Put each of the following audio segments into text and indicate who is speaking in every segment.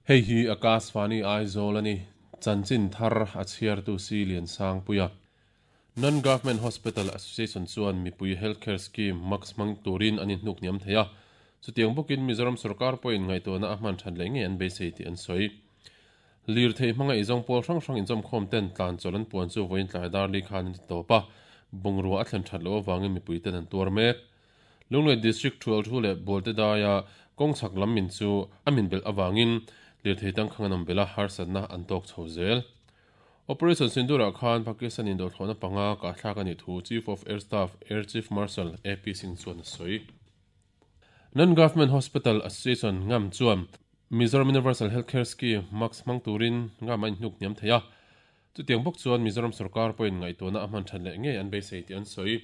Speaker 1: Hei hi Akashvani Aizawl a ni. Chanchin thar a chhiartu Si Liansangpuia. Non-Government Hospital Association chuan mipui Health Care Scheme, MACS, hmang turin an inhnuk hniam thei a. Chutiang bawkin Mizoram sorkar pawhin ngaihtuahna a hman that leh ngei an beisei tih an sawi. Lirthei hmanga eizawng pawl hrang hrang inzawmkhawm ten tlan chawlh an puan chu vawiin tlai dar li khan an ti tawp a, bungrua a thlen that loh avangin mipui ten an tuar mek. Lunglei District Thual Thu leh Bualte daia kawng chhak lam min chu a min belh avangin lirthei tangkhang an awm belh a, harsatna an tawk chho zel. Operation Sindoor-ah khan Pakistan indawhthlawhna panga kahthlak a nih thu Chief of Air Staff Air Chief Marshal AP Singh chuan a sawi. Non-Government Hospital Association, ngam, chuan Mizoram Universal Health Care Scheme, MACS, hmang turin ngam a inhnuk hniam thei a. Chutiang bawk chuan Mizoram sorkar pawhin ngaihtuahna a hman that leh ngei an beisei tih an sawi.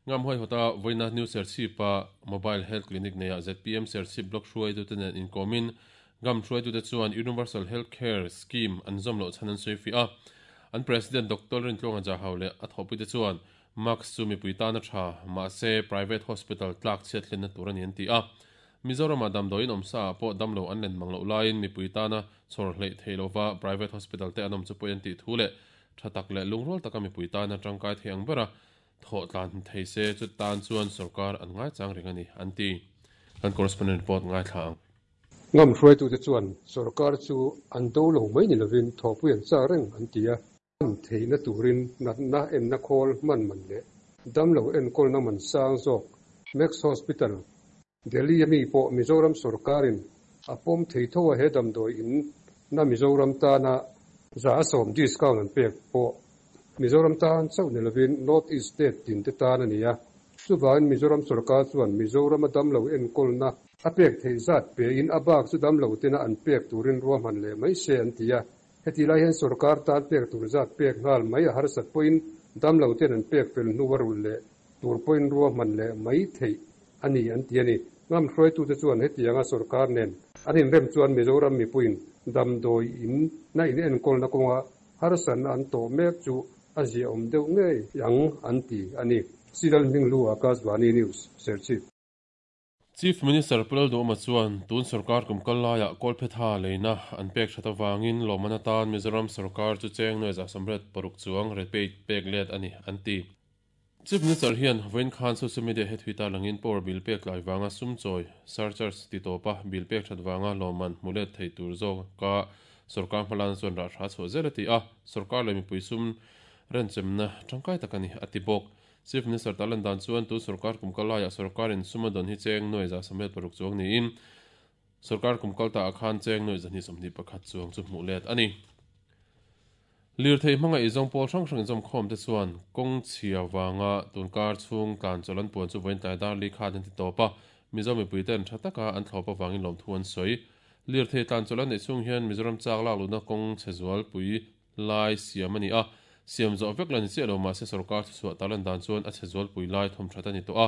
Speaker 1: Ngam huaihawta vawiina New Serchhip-a Mobile Health Clinic neiah zpm Serchhip Block hruaitute nen inkawmin Ngam hruaitute chuan Universal Health Care Scheme an zawm loh chhan an sawi fiah a. An President Doctor Rintluanga Jahau leh a thawhpuite chuan Mask chu mipui tana tha, mahse private hospital tlak chhiat hlenna tur a ni an ti a. Mizoramah damdawiin awmsa ah pawh damlo an len mang loh laiin mipui tana chhawr hleih theih lova private hospital te an awm chu pawi an tih thu leh tha tak leh lungrual taka mipui tana tangkai thei ang bera thawh tlan thei se chu tan chuan sorkar an ngaichang reng a ni an ti. Kan correspondent report ngaithla ang.
Speaker 2: Ngam hruaitute chuan sorkar chu an do lo mai ni lovin thawhpui an chak reng an ti a. Hman theihna turin natna enna khawl hman man leh damlo enkawlna man sang zawk Max Hospital, Delhi a mi pawh Mizoram sawrkarin a pawm thei tho a he damdawi in na Mizoram tana 70% discount an pek pawh Mizoram tan chauh ni lovin North East state tin te tan a ni a. Chuvangin Mizoram sawrkar chuan Mizorama damlo enkawlna a pek theih zat pein a bak chu damlo tena an pek turin ruahman leh mai se an ti a. Heti lai hian sorkar tan pek tur zat pek nghal mai a harsat pawhin damlo ten an pek fel hnu a rulh leh tur pawhin ruahman leh mai theih a ni an ti a ni. Ngam hruaitute chuan hetianga sorkar nen an inrem chuan Mizoram mipuiin damdawi in na in enkawlna kawnga harsatna an tawh mek chu a ziaawm deuh ngei ang an ti a ni. Siral Hminghlu Akashvani News, Serchhip.
Speaker 1: Chief Minister Pu Lalduhawma chuan tun sorkar kum kal laiah Kawlphetha leina an pek that avangin lawmman atan Mizoram sorkar chu cheng nuai 186 chuang rebate pek let a ni, an ti. Chief Minister hian vawiin khan social media he thui tarlangin power bill pek tlai vanga sum chawi, surcharge, ti tawpa bill pek that vanga lawmman hmu let thei tur zawka sorkar hmalana chuan rah hra chhuah zel a ti a, sorkar leh mipui sum renchemna tangkai tak a ni, a ti bawk. Chief Minister Talan dan chuan tu sorkar kum kal laiah sorkarin sum a dawn hi cheng 176 chuang niin sorkar kum kal taah khan cheng 221 chuang chu hmuh let a ni. Lirthei hmanga eizawng pawl hrang hrang inzawmkhawm te chuan kawng chhia vanga tunkar chhung tlan chawlh an puan chu vawiin tlai dar li khan an ti tawp a, Mizo mipui ten tha taka an thlawp avangin lawmthu an sawi. Lirthei tlan chawlh an neih chhung hian Mizoram chak lak luhna kawng chhe zualpui lai siam a ni a, siam zawh vek la ni chiah lo mahse sorkar thuchhuah tarlan dan chuan a chhe zualpui lai thawm that a ni tawh a,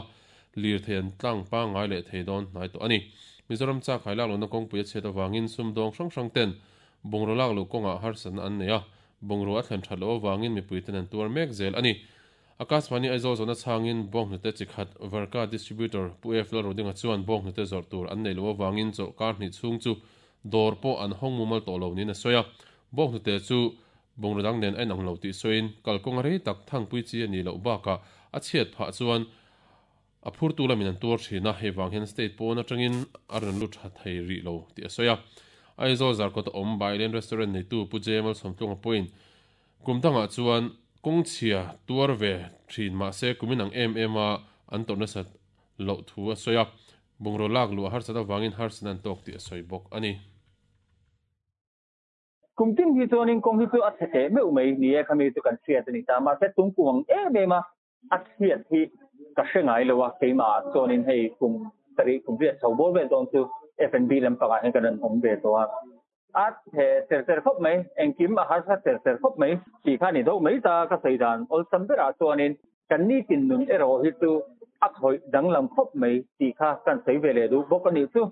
Speaker 1: lirthei an tlang pangngai leh thei dawn hnai tawh a ni. Mizoram chak hai lak lohna kawngpui a chhiat avangin sumdawng hrang hrang ten bungraw lak loh kawngah harsatna an nei a, bungraw a thlen that loh avangin mipui ten an tuar mek zel a ni. Akashvani Aizawl zawhna chhangin bawnghnute chi khat Varka Distributor Pu F Lalrodinga chuan bawnghnute zawrh tur an neih loh avangin chawlhkar hnih chhung chu dawr pawh an hawng mumal tawh lo niin a sawi a. Bawnghnute chu bungraw dang nen a inang lo tih sawiin kalkawng a rei tak thangpui chi a nih loh bakah a chhiat phah chuan a phurtu lamin an tuar thin a, hei vang hian state pawn atangin a rawn lut tha thei rih lo tih a sawi a. Aizawl Zarkawta awm Bailen Restaurant neitu Pu Jemal Sawmtlunga pawhin kum dangah chuan kawng chhia tuar ve thin mahse kumin ang em em a an tawrh nasat loh thu a sawi a, bungraw lak luh a harsat avangin harsatna an tawk tih a sawi bawk a ni.
Speaker 3: Kum tin hi chuanin kawng hi chu a chhe teh meuh mai ni e, khami chu kan hriat a ni ta. Mahse tum kum ang em em a, a chhiat hi ka hre ngai lo a, keimah ah chuanin hei kum sarih kum riat chho bawr vel dawn chu F&B lampangah hian kan rawn awm ve tawh a. A chhe ser ser khawp mai, engkim a harsa ser ser khawp mai tih kha a ni deuh mai ta, ka sawi dan awlsam berah chuanin kan nitin nun erawh hi chu a khawih danglam khawp mai tih kha kan sawi ve leh duh bawk a nih chu.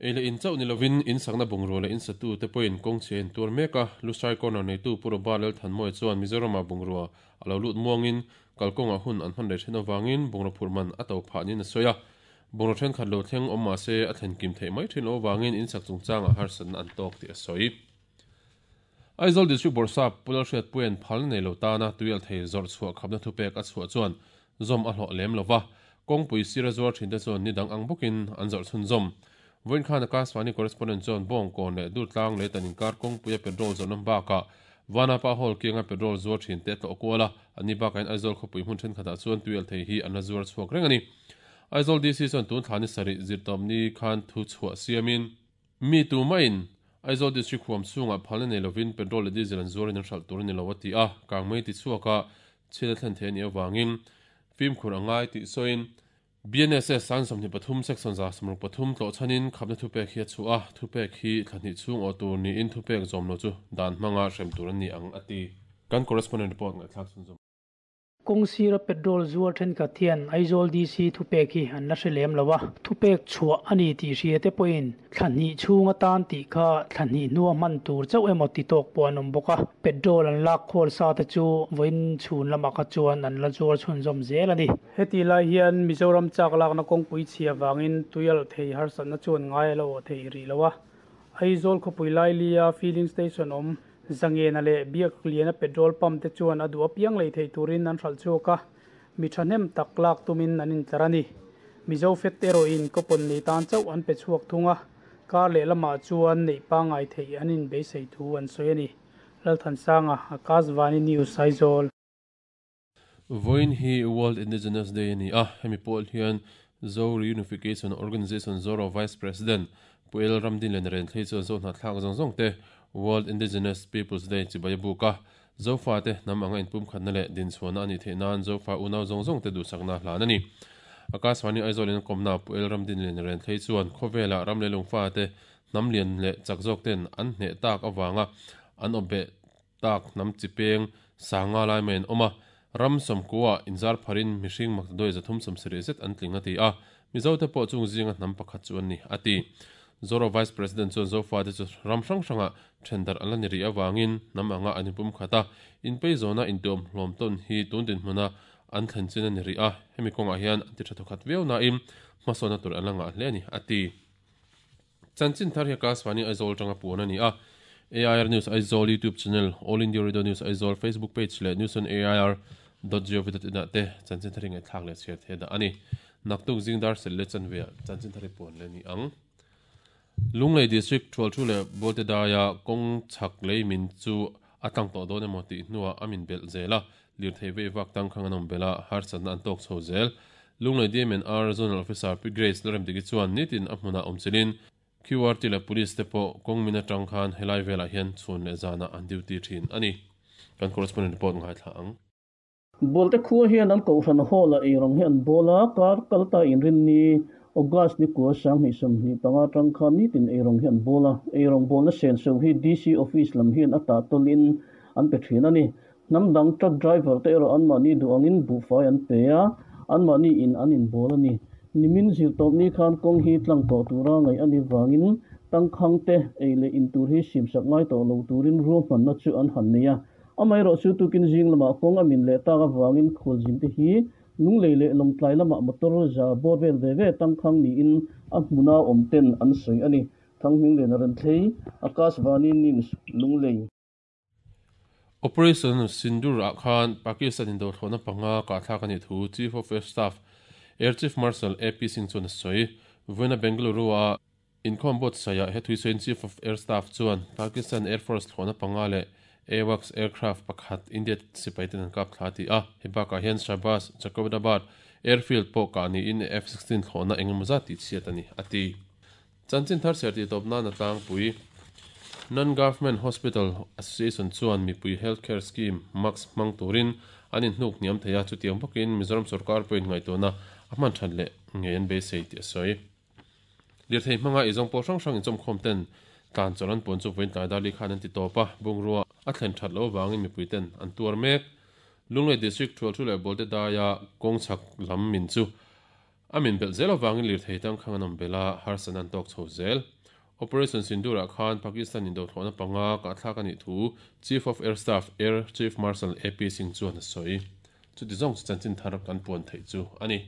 Speaker 1: Ei leh in chauh ni lovin in sakna bungrua leh in satute pawhin kawng chhia in tuar mek a, Lusai Corner neitu Pu Roba Lalthanmawia chuan Mizoramah bungrua a lo lut muangin kalkawngah hun an hman rei then avangin bungraw phurh man a to phah niin a sawi a. Bungraw thenkhat lo thleng awm mah se a thlen kim theih mai thin loh avangin in sak chungchangah harsatna an tawk tih a sawi. Aizawl District Bawrhsap Pu Lalhriatpuia'n phal nei lo tana tuialthei zawrh chhuah khapna thupek a chhuah chuan zawm a hlawh lem lo va, kawngpui sira zuar thinte chuan ni dang ang bawkin an zawrh chhunzawm. Vawiin khan Akashvani correspondent chuan Bawngkawn leh Durtlang lei tan inkar kawngpuia petrol zawrhna bakah Vanapa Hall kianga petrol zuar thinte a tlawh kual a, anni bakah hian Aizawl khawpui hmun thenkhatah chuan tuialthei hi an la zuar chhuak reng a ni. Aizawl DC chuan tun thla ni sarih zirtawpni khan thu chhuah siamin, Mi tumaiin Aizawl District huam chhungah phalna nei lovin petrol leh diesel an zuarin an hralh tur a ni lo a ti a, kangmei ti chhuaka chhiat a thlen thei a nih avangin fimkhur a ngai tih sawiin, BNSS an 23 section 163 tlawh chhanin khapna thupek hi a chhuah a, thupek hi thla hnih chhung awh tur niin thupek zawm lo chu dan hmanga hrem tur a ni ang a ti. Kan correspondent report ngaihthlak chhunzawm.
Speaker 4: Kawng sira petrol zuar thenkhat hian Aizawl DC thupek hi an la hre lem lo a, thupek chhuah a ni tih hria te pawhin thla hnih chhung atan tih kha thla hnih hnua hman tur chauh emaw ti tawk pawh an awm bawk a, petrol an lak khawl sa te chu vawiin chhun lamah kha chuan an la zuar chhunzawm zel a ni. Hetih lai hian Mizoram chak lakna kawngpui chhia vangin tuialh thei harsatna chuan ngai a la awh thei rih lo a, Aizawl khawpui lailia filling station awm Zangena leh Biakliana petrol pump te chuan a duh apiang lei theih turin an hralh chhuak a, mi thahnem tak lak tumin an intlar a ni. Mizo fet erawhin coupon nei tan chauh an pe chhuak thung a, kar leh lamah chuan neih pangngai theih an inbeisei thu an sawi a ni. Lalthansanga, Akashvani News, Aizawl.
Speaker 1: Vawiin hi World Indigenous Day a ni a, hemi pawl hian Zo Reunification Organisation Zoro Vice President Pu El Ramdinlian Renthlei chuan Zo hnahthlak zawng zawng te World Indigenous Peoples Day chibai a buk a, Zofate hnam anga inpumkhatna leh dinchhuahna a nih theih nan Zofa unau zawng zawng te duhsakna hlan a ni. Akashvani Aizawl in a kawmna Pu El Ramdinlian Renthlei chuan khawvela ram leh lungfate hnam lian leh chak zawk ten an hneh tak avanga an awpbeh tak hnam chi peng sanga lai mai an awm a, ram sawmkuaah inzar pharin mihring maktaduai 370 zet an tling a ti a, Mizote pawh chung zinga hnam pakhat chu an ni, a ti. Zoro Vice President chuan Zofate chu ram hrang hrangah thendarh an la ni rih avangin hnam anga an inpum khat a, inpei zawna intuam hlawm tawn hi tun dinhmuna an thlen chin a ni rih a, hemi kawngah hian an ti tha thawkhat viau nain hmasawnna tur an la ngah hle a ni, a ti. Chanchin thar hi Akashvani Aizawl atanga puan a ni a, AIR News Aizawl YouTube channel, All India Radio News Aizawl Facebook page leh newsonair dot gov dot in ah te chanchin thar hi ngaihthlak leh chhiar thei dah a ni. Naktuk zing dar sel leh chanve ah chanchin thar hi puan leh a ni ang. Lunglei District Thualthu leh Bualte daia kawng chhak lei min chu a tlang tawh dawn emaw tih hnuah a min belh zel a, lirthei vei vak tangkhang an awm belh a, harsatna an tawk chho zel. Lunglei DMNR Zonal Officer Pi Grace Lalremdiki chuan nitin a hmunah awm chilhin QRT leh Police te pawh kawng min atang khan helai velah hian chhun leh zanah an duty thin a ni. Kan correspondent report ngaithla ang.
Speaker 5: Bualte khua hian an kohhran hall-ah eirawng hi an bawl a, kar kalta inrinni August ni kua 2025 atang khan nitin eirawng hi an bawl a, eirawng bawlna senso hi DC Office lam hian a tah tawlhin an pe thin a ni. Hnam dang truck driver te erawh anmahni duh angin buhfai an pe a, anmahni in an inbawl a ni. Nimin zirtawpni khan kawng hi tlang tawh tura ngaih a nih vangin tangkhang te ei leh in tur hi simsak ngai tawh lo turin ruahmanna chu an han nei a. Amaherawh chu tukin zing lamah kawng a min leh tak avangin khualzin te hi Lunglei leh Lawngtlai lamah motor za bawr vel ve ve tangkhang niin a hmuna awm ten an sawi a ni. Thanghmingliana Renthlei, Akashvani News, Lunglei.
Speaker 1: Operation Sindoor ah khan Pakistan in dothlawhna panga kahthlak a nih thu Chief of Air Staff Air Chief Marshal AP Singh chuan a sawi. Vawiina Bengaluru a inkhawm buatsaihah he thuisawiin Chief of Air Staff chuan Pakistan Air Force thlawhna panga leh AWACS aircraft pakhat India sipai ten an kap thla a ti a. Hei bakah hian Shahbaz Jacobabad Airfield pawh kah niin F-16 thlawhna engemaw zat tihchhiat a ni, a ti. Chanchin thar chhiar tih tawp nan a tlangpui. Non-Government Hospital Association chuan mipui Health Care Scheme, MACS, hmang turin an inhnuk hniam thei a, chutiang bawkin Mizoram sorkar pawhin ngaihtuahna a hman that leh ngei an beisei tih a sawi. Lirthei hmanga eizawng pawl hrang hrang inchawmkhawm ten tlan chawlh an puan chu vawiin tlai darli khan an ti tawp a, bungrua a thlen that loh avangin mipui ten an tuar mek. Lunglei District Thualthu leh Bawlte daia kawng chhak lam min chu A min belh zel avangin lirthei tangkhang an awm belh a, harsatna an tawk chho zel. Operation Sindoor-ah khan Pakistan indothlawhna panga kahthlak a nih thu Chief of Air Staff Air Chief Marshal AP Singh chuan a sawi. Chuti zawng chu chanchin thar kan puan theih chu a ni.